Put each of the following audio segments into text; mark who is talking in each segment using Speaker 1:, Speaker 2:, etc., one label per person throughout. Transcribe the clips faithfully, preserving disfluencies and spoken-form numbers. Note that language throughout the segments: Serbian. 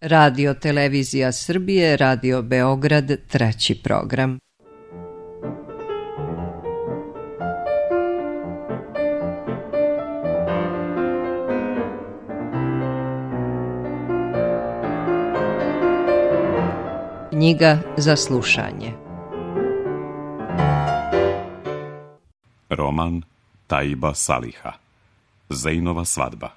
Speaker 1: Radio Televizija Srbije, Radio Beograd, treći program. Knjiga za slušanje.
Speaker 2: Roman Taiba Saliha. Zejnova svadba.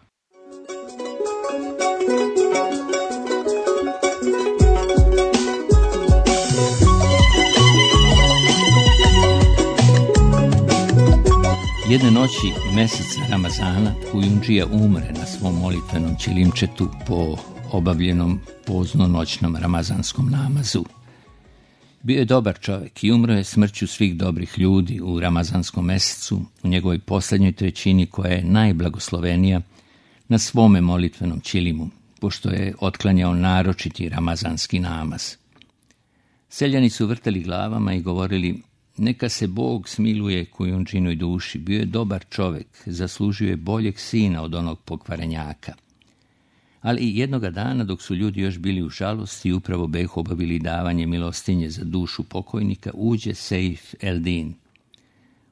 Speaker 3: Jedne noći meseca Ramazana Kujundžija umre na svom molitvenom ćilimčetu po obavljenom pozno-noćnom ramazanskom namazu. Bio je dobar čovjek i umro je smrću svih dobrih ljudi u ramazanskom mesecu, u njegovoj posljednjoj trećini koja je najblagoslovenija, na svome molitvenom ćilimu, pošto je otklanjao naročiti ramazanski namaz. Seljani su vrteli glavama i govorili: neka se Bog smiluje Kujundžinoj duši, bio je dobar čovjek, zaslužio je boljeg sina od onog pokvarenjaka. Ali jednoga dana, dok su ljudi još bili u žalosti i upravo behu obavili davanje milostinje za dušu pokojnika, uđe Sejf el-Din.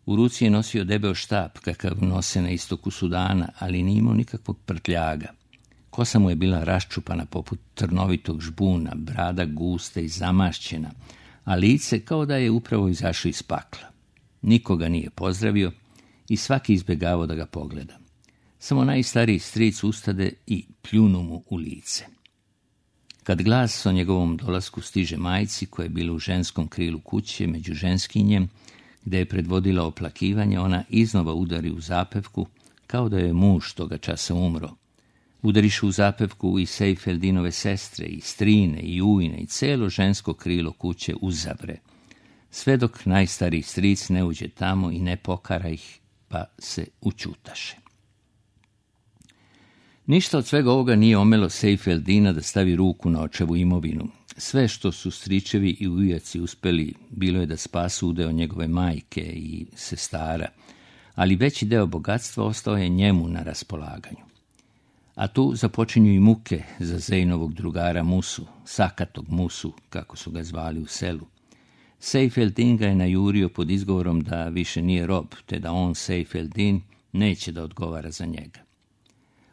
Speaker 3: U ruci je nosio debeo štap, kakav nose na istoku Sudana, ali nije imao nikakvog prtljaga. Kosa mu je bila raščupana poput trnovitog žbuna, brada gusta i zamašćena, a lice kao da je upravo izašao iz pakla. Nikoga nije pozdravio i svaki izbjegavao da ga pogleda. Samo najstariji stric ustade i pljunu mu u lice. Kad glas o njegovom dolasku stiže majci, koja je bila u ženskom krilu kuće među ženskinjem, gde je predvodila oplakivanje, ona iznova udari u zapevku, kao da je muž toga časa umro. Udarišu u zapevku i Sejf el-Dinove sestre, i strine, i ujne, i celo žensko krilo kuće uzavre, sve dok najstariji stric ne uđe tamo i ne pokara ih, pa se učutaše. Ništa od svega ovoga nije omelo Sejf el-Dina da stavi ruku na očevu imovinu. Sve što su stričevi i ujaci uspeli bilo je da spasu udeo njegove majke i sestara, ali veći deo bogatstva ostao je njemu na raspolaganju. A tu započinju i muke za Zejnovog drugara Musu, Sakatog Musu, kako su ga zvali u selu. Sejf el-Din ga je najurio pod izgovorom da više nije rob, te da on, Sejf el-Din, neće da odgovara za njega.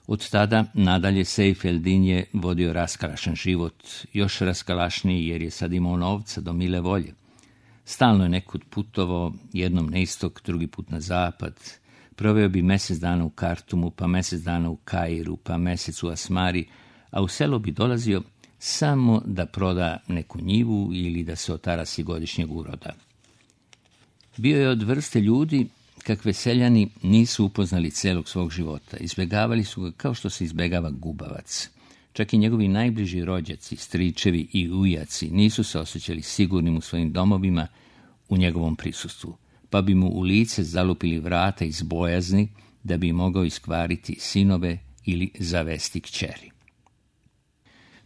Speaker 3: Od tada nadalje Sejf el-Din je vodio raskalašan život, još raskalašniji jer je sad imao novca do mile volje. Stalno je nekud putovao, jednom na istok, drugi put na zapad. Proveo bi mjesec dana u Kartumu, pa mjesec dana u Kairu, pa mjesec u Asmari, a u selo bi dolazio samo da proda neku njivu ili da se otarasi godišnjeg uroda. Bio je od vrste ljudi kakve seljani nisu upoznali celog svog života. Izbjegavali su ga kao što se izbjegava gubavac. Čak i njegovi najbliži rođaci, stričevi i ujaci nisu se osjećali sigurnim u svojim domovima u njegovom prisustvu, pa bi mu u lice zalupili vrata iz bojazni da bi mogao iskvariti sinove ili zavesti kćeri.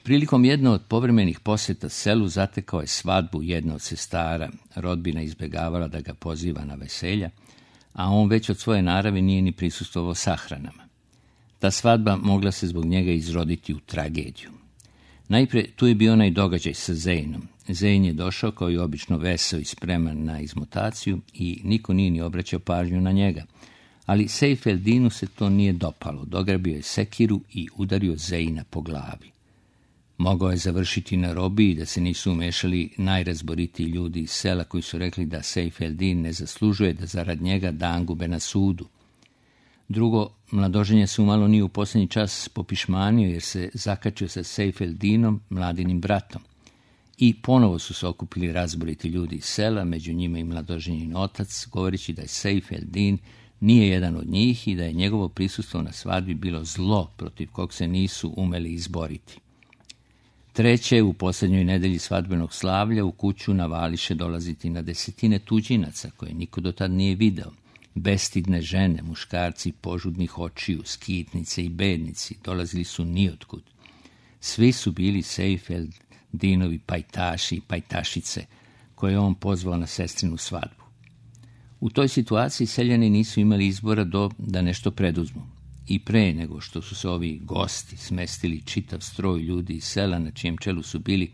Speaker 3: Prilikom jedne od povremenih posjeta selu zatekao je svadbu jedne od sestara. Rodbina izbjegavala da ga poziva na veselja, a on već od svoje naravi nije ni prisustvovao sahranama. Ta svadba mogla se zbog njega izroditi u tragediju. Najprije tu je bio onaj događaj sa Zejnom. Zejn je došao kao i obično veseo i spreman na izmutaciju i niko nije ni obraćao pažnju na njega. Ali Sejf el-Dinu se to nije dopalo, dograbio je sekiru i udario Zejna po glavi. Mogao je završiti na robiji da se nisu umešali najrazboritiji ljudi iz sela koji su rekli da Sejf el-Din ne zaslužuje da zarad njega dangube na sudu. Drugo, mladoženja se umalo nije u posljednji čas popišmanio jer se zakačio sa Sejf el-Dinom, mladinim bratom. I ponovo su se okupili razboriti ljudi iz sela, među njima i mladoženjin otac, govoreći da je Sejf el-Din nije jedan od njih i da je njegovo prisustvo na svadbi bilo zlo protiv kog se nisu umeli izboriti. Treće, u posljednjoj nedelji svadbenog slavlja u kuću navališe dolaziti na desetine tuđinaca koje niko do tad nije video. Bestidne žene, muškarci požudnih očiju, skitnice i bednici dolazili su nijotkud. Svi su bili Sejf el-Dinovi pajtaši i pajtašice koje je on pozvao na sestrinu svadbu. U toj situaciji seljani nisu imali izbora do da nešto preduzmu. i pre nego što su se ovi gosti smestili čitav stroj ljudi iz sela na čijem čelu su bili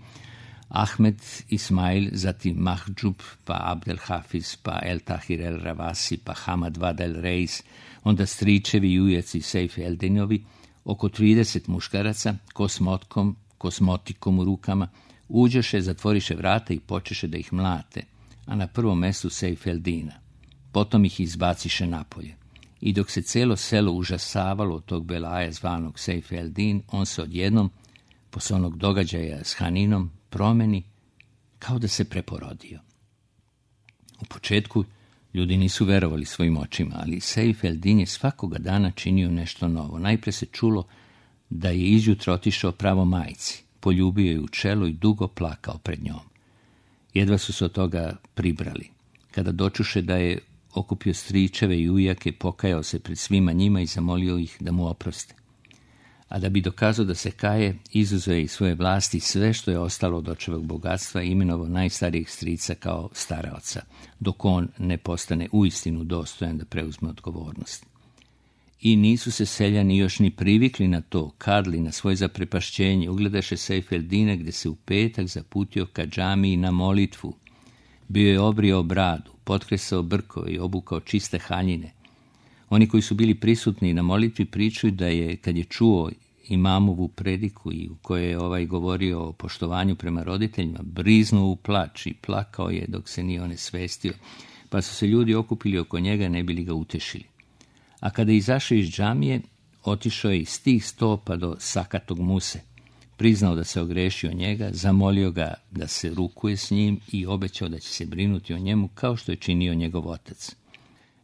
Speaker 3: Ahmed Ismail, zatim Mahđub, pa Abdel Hafiz, pa El Tahir El Ravasi, pa Hamad Vad El Reis, onda stričevi i ujeci Sejf Eldinovi, oko trideset muškaraca, ko s motkom, ko s motikom u rukama, uđeše, zatvoriše vrata i počeše da ih mlate, a na prvom mestu Sejf Eldina. Potom ih izbaciše napolje. I dok se celo selo užasavalo od tog belaja zvanog Sejf Eldin, on se odjednom, posle onog događaja s Haninom, promeni kao da se preporodio. U početku ljudi nisu verovali svojim očima, ali Sejf Eldin je svakoga dana činio nešto novo. Najpre se čulo da je izjutra otišao pravo majci, poljubio je u čelo i dugo plakao pred njom. Jedva su se od toga pribrali. Kada dočuše da je okupio stričeve i ujake, pokajao se pred svima njima i zamolio ih da mu oproste. A da bi dokazao da se kaje, izuzeo je iz svoje vlasti sve što je ostalo od očevog bogatstva i imenovao najstarijeg strica kao staraoca, dok on ne postane uistinu dostojan da preuzme odgovornost. I nisu se seljani još ni privikli na to, kadli na svoje zaprepašćenje, ugledaše Sejf Eldina gde se u petak zaputio ka džamiji na molitvu. Bio je obrio bradu, potkresao brkove i obukao čiste haljine. Oni koji su bili prisutni na molitvi pričaju da je, kad je čuo imamovu prediku i u kojoj je ovaj govorio o poštovanju prema roditeljima, briznuo u plač i plakao je dok se nije onesvestio, pa su se ljudi okupili oko njega ne bili ga utešili. A kada je izašao iz džamije, otišao je iz tih stopa do sakatog Muse, priznao da se ogrešio njega, zamolio ga da se rukuje s njim i obećao da će se brinuti o njemu kao što je činio njegov otac.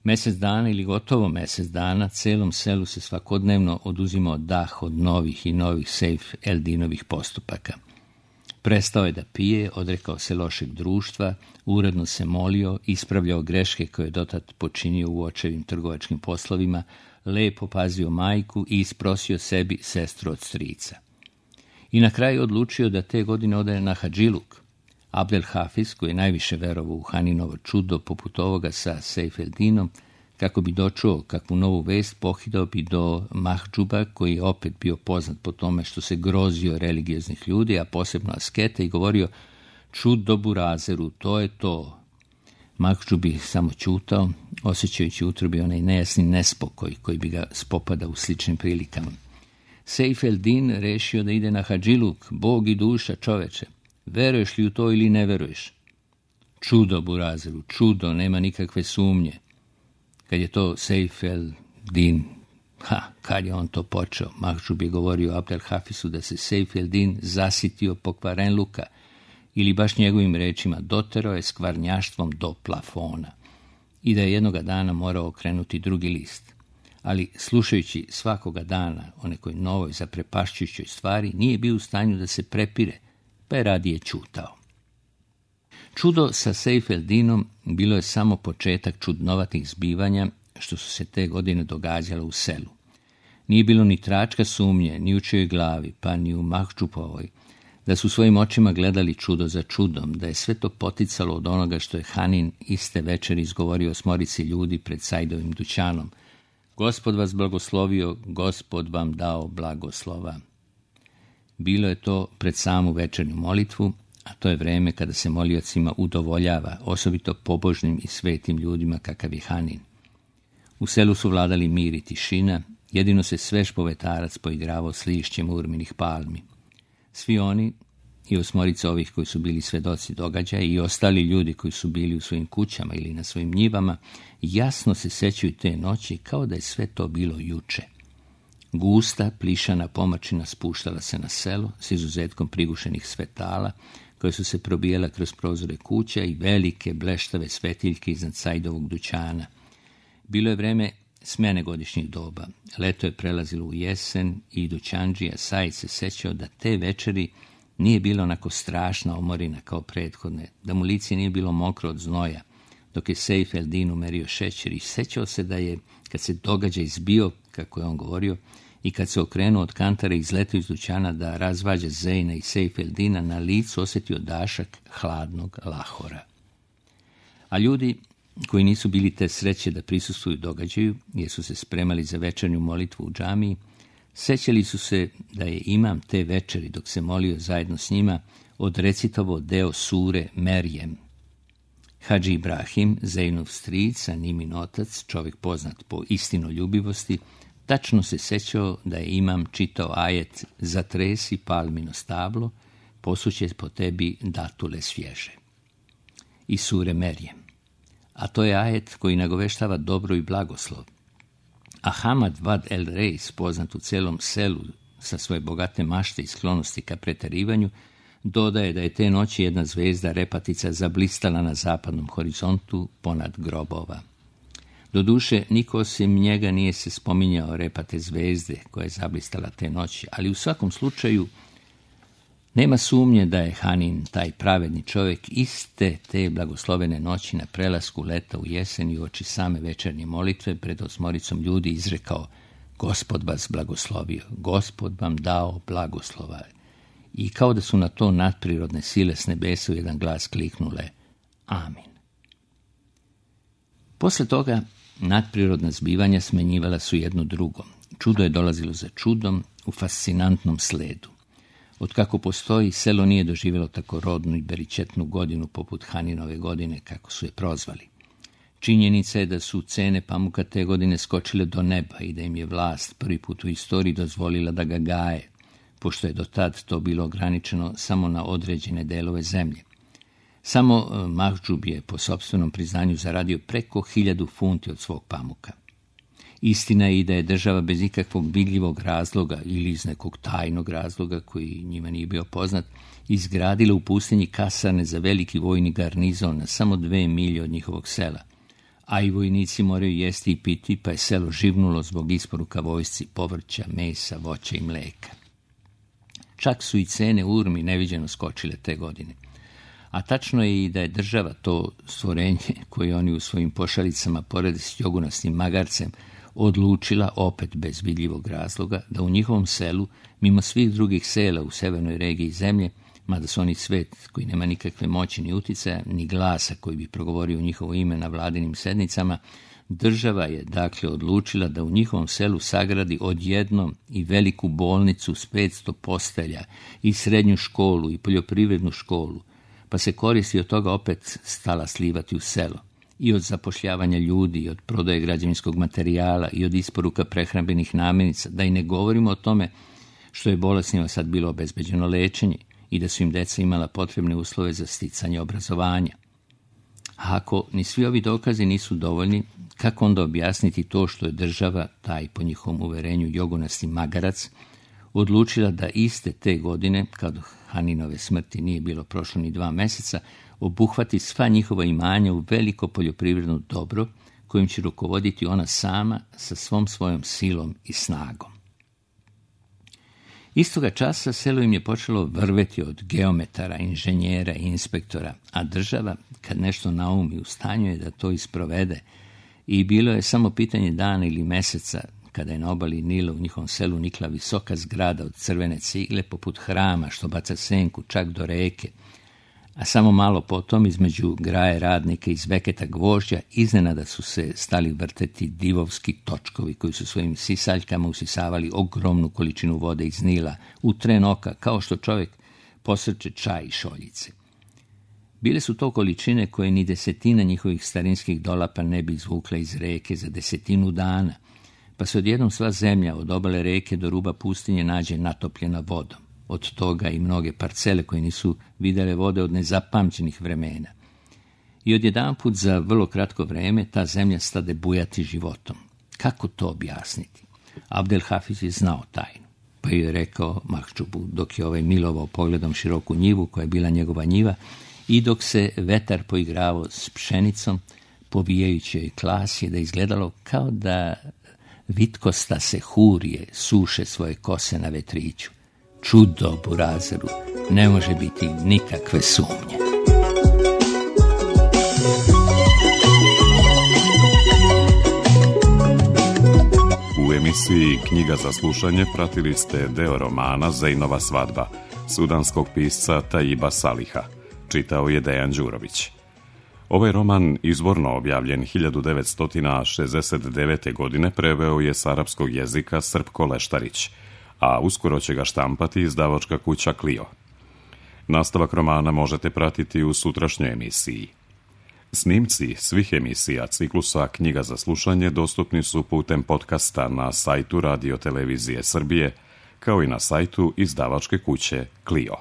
Speaker 3: Mesec dana ili gotovo mesec dana celom selu se svakodnevno oduzimao dah od novih i novih Sejf Eldinovih postupaka. Prestao je da pije, odrekao se lošeg društva, uredno se molio, ispravljao greške koje je dotad počinio u očevim trgovačkim poslovima, lepo pazio majku i isprosio sebi sestru od strica. I na kraju odlučio da te godine ode na hadžiluk. Abdel Hafiz, koji je najviše verovao u Haninovo čudo poput ovoga sa Sejf Eldinom, kako bi dočuo kakvu novu vest, pohidao bi do Mahđuba, koji je opet bio poznat po tome što se grozio religioznih ljudi, a posebno asketa, i govorio: čudo Burazeru, to je to. Mahđub bi samo ćutao, osjećajući u utrobi onaj nejasni nespokoj koji bi ga spopadao u sličnim prilikama. Sejf Eldin rešio da ide na hadžiluk, Bog i duša, čoveče. Veruješ li u to ili ne veruješ? Čudo Burazeru, čudo, nema nikakve sumnje. Kad je to Sejf Eldin, ha, kad je on to počeo, Mahđub je govorio Abdel Hafisu da se Sejf Eldin zasitio pokvarenluka, ili baš njegovim rečima doterao je skvarnjaštvom do plafona i da je jednoga dana morao okrenuti drugi list. Ali slušajući svakoga dana o nekoj novoj zaprepašćujućoj stvari, nije bio u stanju da se prepire, pa je radije ćutao. Čudo sa Sejf Eldinom bilo je samo početak čudnovatih zbivanja što su se te godine događala u selu. Nije bilo ni tračka sumnje, ni u čijoj glavi, pa ni u Mahđupovoj, da su svojim očima gledali čudo za čudom, da je sve to poticalo od onoga što je Hanin iste večeri izgovorio smorici ljudi pred Sajdovim dućanom. Gospod vas blagoslovio, Gospod vam dao blagoslova. Bilo je to pred samu večernju molitvu, a to je vreme kada se moliocima udovoljava, osobito pobožnim i svetim ljudima kakav je Hanin. U selu su vladali mir i tišina, jedino se svež povetarac poigravao s lišćem urminih palmi. Svi oni, i osmorica ovih koji su bili svedoci događaja i ostali ljudi koji su bili u svojim kućama ili na svojim njivama, jasno se sećaju te noći kao da je sve to bilo juče. Gusta, plišana pomačina spuštala se na selo s izuzetkom prigušenih svetala, koje su se probijela kroz prozore kuća i velike bleštave svetiljke iznad Sajdovog dućana. Bilo je vreme smene godišnjih doba. Leto je prelazilo u jesen i dućandžija Sajd se sećao da te večeri nije bilo onako strašna omorina kao prethodne, da mu lice nije bilo mokro od znoja, dok je Sejf Eldin umerio šećer, i sećao se da je, kad se događaj izbio, kako je on govorio, i kad se okrenuo od kantara i izletio iz dućana da razvađa Zejna i Sejf Eldina, na licu osjetio dašak hladnog lahora. A ljudi koji nisu bili te sreće da prisustvuju događaju, jer su se spremali za večernju molitvu u džamiji, sećali su se da je imam te večeri, dok se molio zajedno s njima, odrecitovao deo sure Merjem. Hadži Ibrahim, Zejnov stric, a Nimin otac, čovjek poznat po istinoljubivosti, tačno se sećao da je imam čitao ajet "Zatresi palmino stablo, posuće po tebi datule svježe" iz sure Merjem. A to je ajet koji nagoveštava dobro i blagoslov. A Hamad Vad el Reis, poznat u celom selu sa svoje bogate mašte i sklonosti ka pretjerivanju, dodaje da je te noći jedna zvezda repatica zablistala na zapadnom horizontu ponad grobova. Doduše, niko osim njega nije se spominjao repate zvezde koja je zablistala te noći, ali u svakom slučaju nema sumnje da je Hanin, taj pravedni čovjek, iste te blagoslovene noći na prelasku leta u jesen i uoči same večernje molitve pred osmoricom ljudi izrekao: "Gospod vas blagoslovio, Gospod vam dao blagoslova." I kao da su na to nadprirodne sile s nebesa u jedan glas kliknule: "Amin." Posle toga nadprirodna zbivanja smenjivala su jedno drugo. Čudo je dolazilo za čudom u fascinantnom sledu. Otkako postoji, selo nije doživjelo tako rodnu i beričetnu godinu poput Haninove godine, kako su je prozvali. Činjenica je da su cene pamuka te godine skočile do neba i da im je vlast prvi put u istoriji dozvolila da ga gaje, pošto je do tad to bilo ograničeno samo na određene delove zemlje. Samo Mahdžub je po sopstvenom priznanju zaradio preko hiljadu funti od svog pamuka. Istina je i da je država bez ikakvog vidljivog razloga ili iz nekog tajnog razloga koji njima nije bio poznat, izgradila u pustinji kasarne za veliki vojni garnizon na samo dve milje od njihovog sela. A i vojnici moraju jesti i piti, pa je selo živnulo zbog isporuka vojsci povrća, mesa, voća i mleka. Čak su i cene urmi neviđeno skočile te godine. A tačno je i da je država, to stvorenje koje oni u svojim pošalicama porede s jogunastim magarcem, odlučila, opet bez vidljivog razloga, da u njihovom selu, mimo svih drugih sela u severnoj regiji zemlje, mada su oni svet koji nema nikakve moći ni uticaja, ni glasa koji bi progovorio u njihovo ime na vladinim sednicama, država je dakle odlučila da u njihovom selu sagradi odjednom i veliku bolnicu s petsto postelja, i srednju školu i poljoprivrednu školu, pa se koristi od toga opet stala slivati u selo. I od zapošljavanja ljudi, i od prodaje građevinskog materijala, i od isporuka prehrambenih namirnica, da i ne govorimo o tome što je bolesnima sad bilo obezbeđeno lečenje i da su im deca imala potrebne uslove za sticanje obrazovanja. A ako ni svi ovi dokazi nisu dovoljni, kako onda objasniti to što je država, taj po njihovom uverenju jogunasti magarac, odlučila da iste te godine, kad Haninove smrti nije bilo prošlo ni dva meseca, obuhvati sva njihova imanja u veliko poljoprivredno dobro, kojim će rukovoditi ona sama sa svom svojom silom i snagom. Istoga časa selo im je počelo vrveti od geometara, inženjera i inspektora, a država, kad nešto naumi, u stanju je da to isprovede, i bilo je samo pitanje dana ili meseca kada je na obali Nila u njihovom selu nikla visoka zgrada od crvene cigle poput hrama što baca senku čak do reke, a samo malo potom između graje radnika iz veketa gvožđa iznenada su se stali vrteti divovski točkovi koji su svojim sisaljkama usisavali ogromnu količinu vode iz Nila u tren oka, kao što čovjek posrče čaj i šoljice. Bile su to količine koje ni desetina njihovih starinskih dolapa ne bi izvukla iz reke za desetinu dana, pa se odjednom sva zemlja od obale reke do ruba pustinje nađe natopljena vodom. Od toga i mnoge parcele koje nisu vidjele vode od nezapamćenih vremena. I odjedanput za vrlo kratko vreme ta zemlja stade bujati životom. Kako to objasniti? Abdel Hafiz je znao tajnu, pa je rekao Mahdžubu, dok je ovaj milovao pogledom široku njivu koja je bila njegova njiva i dok se vetar poigravao s pšenicom, povijajući joj klasje, da izgledalo kao da vitkosta se hurije suše svoje kose na vetriću. Čudo Burazeru, ne može biti nikakve sumnje.
Speaker 2: U emisiji Knjiga za slušanje pratili ste deo romana Zejnova svadba, sudanskog pisca Tajiba Saliha. Čitao je Dejan Đurović. Ovaj roman, izvorno objavljen hiljadu devetsto šezdeset devete. godine, preveo je s arapskog jezika Srpko Leštarić, a uskoro će ga štampati izdavačka kuća Clio. Nastavak romana možete pratiti u sutrašnjoj emisiji. Snimci svih emisija ciklusa Knjiga za slušanje dostupni su putem podcasta na sajtu Radio Televizije Srbije, kao i na sajtu izdavačke kuće Clio.